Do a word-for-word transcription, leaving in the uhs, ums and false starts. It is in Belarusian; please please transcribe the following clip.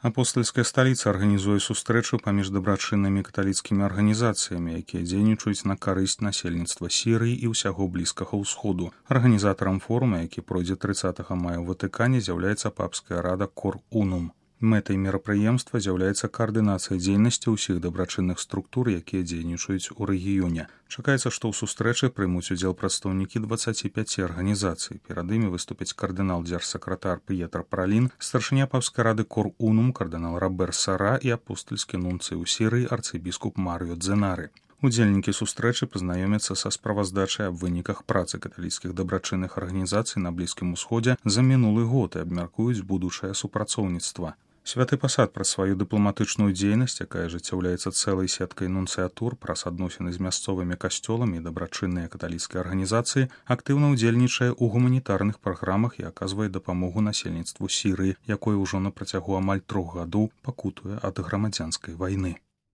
Апостальская сталіца арганізуе сустрэчу паміж дабрачыннымі каталіцкімі арганізацыямі, якія дзейнічаюць на карысць насельніцтва Сірыі і ўсяго блізкага ўсходу. Арганізатарам форума, які пройдзе трыццатага мая ў Ватыкане, з'яўляецца папская рада Cor Unum. Мэтай мерапрыемства з'яўляецца каардынацыя дзейнасці ўсіх дабрачынных структур, якія дзейнічаюць у рэгіёне. Чакаецца, што ў сустрэчы прымуць удзел прадстаўнікі дваццаці пяці арганізацый. Перад імі выступяць кардынал дзяржсакратар П'етр Паралін, старшыня папскай рады Cor Unum, кардынал Робер Сара і апостальскі нунцый у Сірыі арцыбіскуп Марыё Дзенары. Удзельнікі сустрэчы пазнаёмяцца са справаздачай аб выніках працы каталіцкіх дабрачынных арганізацый на Блізкім Усходзе за мінулы год і абмяркуюць будучае супрацоўніцтва. Святы пасад праз сваю дыпламатычную дзейнасць, якая ажыццяўляецца цэлай сеткай нунцыятур праз адносіны з мясцовымі касцёламі і дабрачынныя каталіцкія арганізацыі, актыўна ўдзельнічае ў гуманітарных праграмах і аказвае дапамогу насельніцтву Сірыі, якое ўжо на працягу амаль трох гадоў пакутуе ад грамадзянскай вайны.